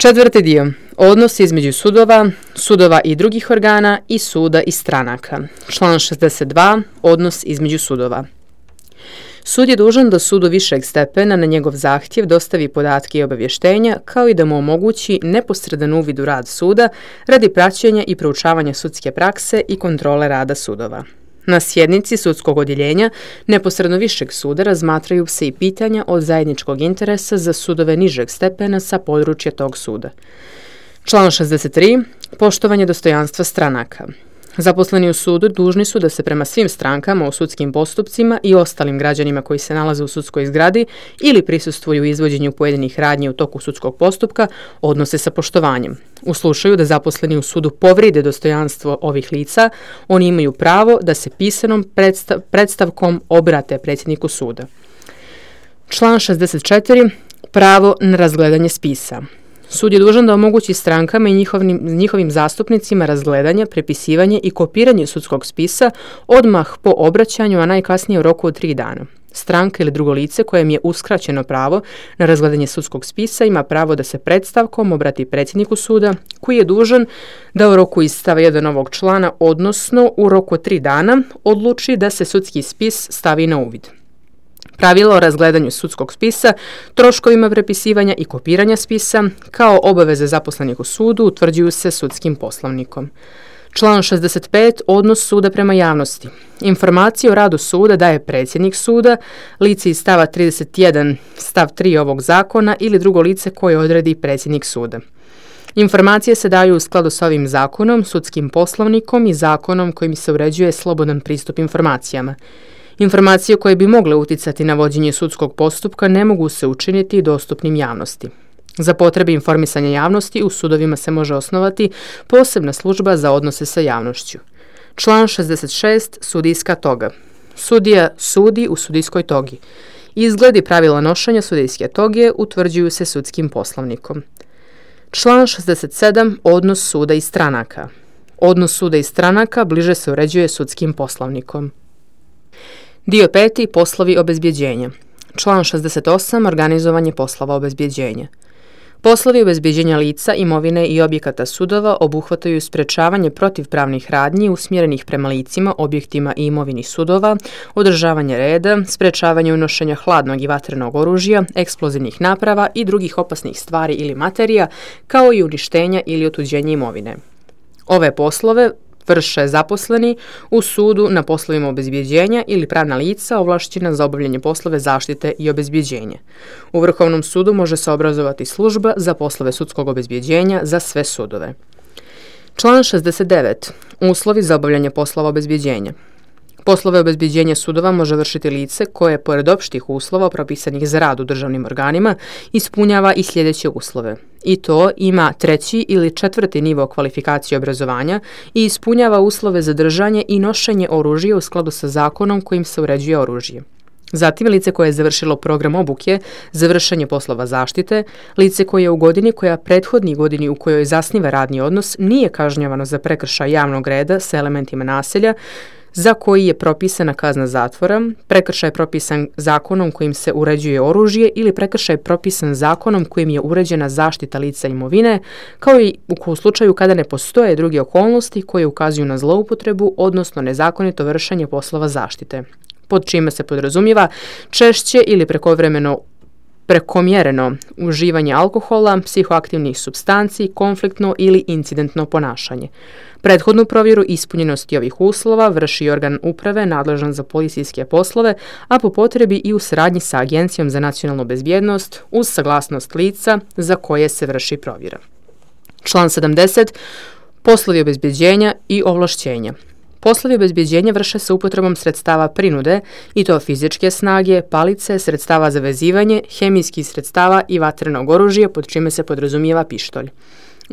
Četvrti dio. Odnos između sudova i drugih organa i suda i stranaka. Član 62. Odnos između sudova. Sud je dužan da sudu višeg stepena na njegov zahtjev dostavi podatke i obavještenja, kao i da mu omogući neposredan uvid u rad suda radi praćenja i proučavanja sudske prakse i kontrole rada sudova. Na sjednici sudskog odjeljenja neposredno višeg suda razmatraju se i pitanja od zajedničkog interesa za sudove nižeg stepena sa područja tog suda. Član 63. Poštovanje dostojanstva stranaka. Zaposleni u sudu dužni su da se prema svim strankama u sudskim postupcima i ostalim građanima koji se nalaze u sudskoj zgradi ili prisustvuju izvođenju pojedinih radnji u toku sudskog postupka odnose sa poštovanjem. U slučaju da zaposleni u sudu povride dostojanstvo ovih lica, oni imaju pravo da se pisanom predstavkom obrate predsjedniku suda. Član 64. Pravo na razgledanje spisa. Sud je dužan da omogući strankama i njihovim zastupnicima razgledanje, prepisivanje i kopiranje sudskog spisa odmah po obraćanju, a najkasnije u roku od 3 dana. Stranka ili drugo lice kojem je uskraćeno pravo na razgledanje sudskog spisa ima pravo da se predstavkom obrati predsjedniku suda, koji je dužan da u roku iz stava 1 ovog člana, odnosno u roku od 3 dana, odluči da se sudski spis stavi na uvid. Pravila o razgledanju sudskog spisa, troškovima prepisivanja i kopiranja spisa, kao obaveze zaposlenih u sudu, utvrđuju se sudskim poslovnikom. Član 65. Odnos suda prema javnosti. Informacije o radu suda daje predsjednik suda, lice iz stava 31 stav 3 ovog zakona ili drugo lice koje odredi predsjednik suda. Informacije se daju u skladu s ovim zakonom, sudskim poslovnikom i zakonom kojim se uređuje slobodan pristup informacijama. Informacije koje bi mogle uticati na vođenje sudskog postupka ne mogu se učiniti dostupnim javnosti. Za potrebe informisanja javnosti u sudovima se može osnovati posebna služba za odnose sa javnošću. Član 66. Sudijska toga. Sudija sudi u sudijskoj togi. Izgledi pravila nošenja sudijske toge utvrđuju se sudskim poslovnikom. Član 67. Odnos suda i stranaka. Odnos suda i stranaka bliže se uređuje sudskim poslovnikom. Dio 5. Poslovi obezbjeđenja. Član 68. Organizovanje poslova obezbjeđenja. Poslovi obezbjeđenja lica, imovine i objekata sudova obuhvataju sprečavanje protivpravnih radnji usmjerenih prema licima, objektima i imovini sudova, održavanje reda, sprečavanje unošenja hladnog i vatrenog oružja, eksplozivnih naprava i drugih opasnih stvari ili materija, kao i uništenja ili otuđenja imovine. Ove poslove vrše zaposleni u sudu na poslovima obezbjeđenja ili pravna lica ovlašćena za obavljanje poslove zaštite i obezbjeđenja. U Vrhovnom sudu može se obrazovati služba za poslove sudskog obezbjeđenja za sve sudove. Član 69. Uslovi za obavljanje poslova obezbjeđenja. Poslove obezbjeđenja sudova može vršiti lice koje, pored opštih uslova propisanih za rad u državnim organima, ispunjava i sljedeće uslove. I to ima 3. ili 4. nivo kvalifikacije obrazovanja i ispunjava uslove za držanje i nošenje oružja u skladu sa zakonom kojim se uređuje oružje. Zatim, lice koje je završilo program obuke za vršenje poslova zaštite, lice koje je u godini koja prethodni godini u kojoj zasniva radni odnos nije kažnjavano za prekršaj javnog reda sa elementima nasilja, za koji je propisana kazna zatvora, prekršaj propisan zakonom kojim se uređuje oružje ili prekršaj propisan zakonom kojim je uređena zaštita lica imovine, kao i u slučaju kada ne postoje druge okolnosti koje ukazuju na zloupotrebu, odnosno nezakonito vršenje poslova zaštite, pod čime se podrazumijeva češće ili prekomjereno uživanje alkohola, psihoaktivnih supstanci, konfliktno ili incidentno ponašanje. Prethodnu provjeru ispunjenosti ovih uslova vrši organ uprave nadležan za policijske poslove, a po potrebi i u saradnji sa Agencijom za nacionalnu bezbjednost uz saglasnost lica za koje se vrši provjera. Član 70. Poslovi obezbjeđenja i ovlašćenja. Poslovi obezbjeđenja vrše se upotrebom sredstava prinude, i to fizičke snage, palice, sredstava za vezivanje, hemijskih sredstava i vatrenog oružja, pod čime se podrazumijeva pištolj.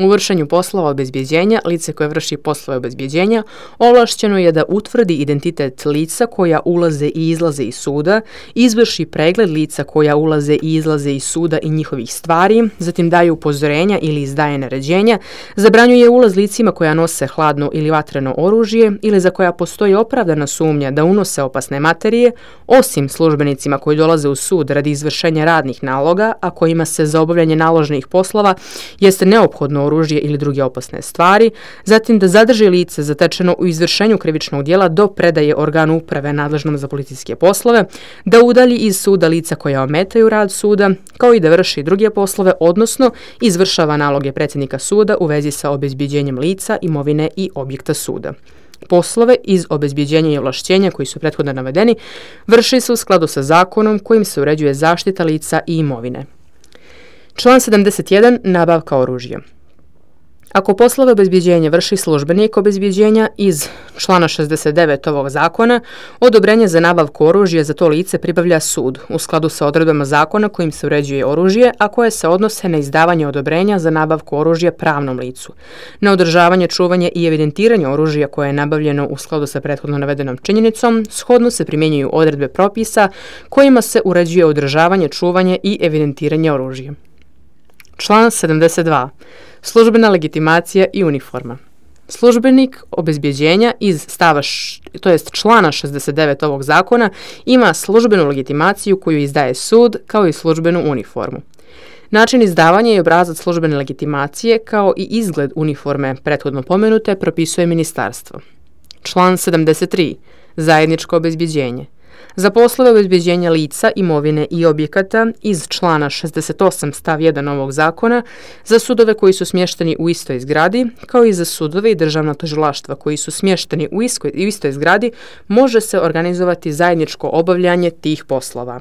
U vršenju poslova obezbjeđenja, lice koje vrši poslove obezbjeđenja ovlašćeno je da utvrdi identitet lica koja ulaze i izlaze iz suda, izvrši pregled lica koja ulaze i izlaze iz suda i njihovih stvari, zatim daje upozorenja ili izdaje naređenja, zabranjuje ulaz licima koja nose hladno ili vatreno oružje ili za koja postoji opravdana sumnja da unose opasne materije, osim službenicima koji dolaze u sud radi izvršenja radnih naloga, a kojima se za obavljanje naloženih poslova jeste neophodno oružje ili druge opasne stvari, zatim da zadrži lice zatečeno u izvršenju krivičnog djela do predaje organu uprave nadležnom za policijske poslove, da udalji iz suda lica koja ometaju rad suda, kao i da vrši druge poslove, odnosno izvršava naloge predsjednika suda u vezi sa obezbjeđenjem lica, imovine i objekta suda. Poslove iz obezbjeđenja i ovlašćenja koji su prethodno navedeni vrši se u skladu sa zakonom kojim se uređuje zaštita lica i imovine. Član 71. Nabavka oružja. Ako poslove obezbjeđenja vrši službenik obezbjeđenja iz člana 69 ovog zakona, odobrenje za nabavku oružja za to lice pribavlja sud u skladu sa odredbama zakona kojim se uređuje oružje, a koje se odnose na izdavanje odobrenja za nabavku oružja pravnom licu, na održavanje, čuvanje i evidentiranje oružja koje je nabavljeno u skladu sa prethodno navedenom činjenicom, shodno se primjenjuju odredbe propisa kojima se uređuje održavanje, čuvanje i evidentiranje oružja. Član 72. Službena legitimacija i uniforma. Službenik obezbjeđenja iz člana 69 ovog zakona ima službenu legitimaciju koju izdaje sud kao i službenu uniformu. Način izdavanja i obrazac službene legitimacije kao i izgled uniforme prethodno pomenute propisuje ministarstvo. Član 73. Zajedničko obezbjeđenje. Za poslove obezbjeđenja lica, imovine i objekata iz člana 68 stav 1 ovog zakona, za sudove koji su smješteni u istoj zgradi, kao i za sudove i državna tužilaštva koji su smješteni u istoj zgradi, može se organizovati zajedničko obavljanje tih poslova.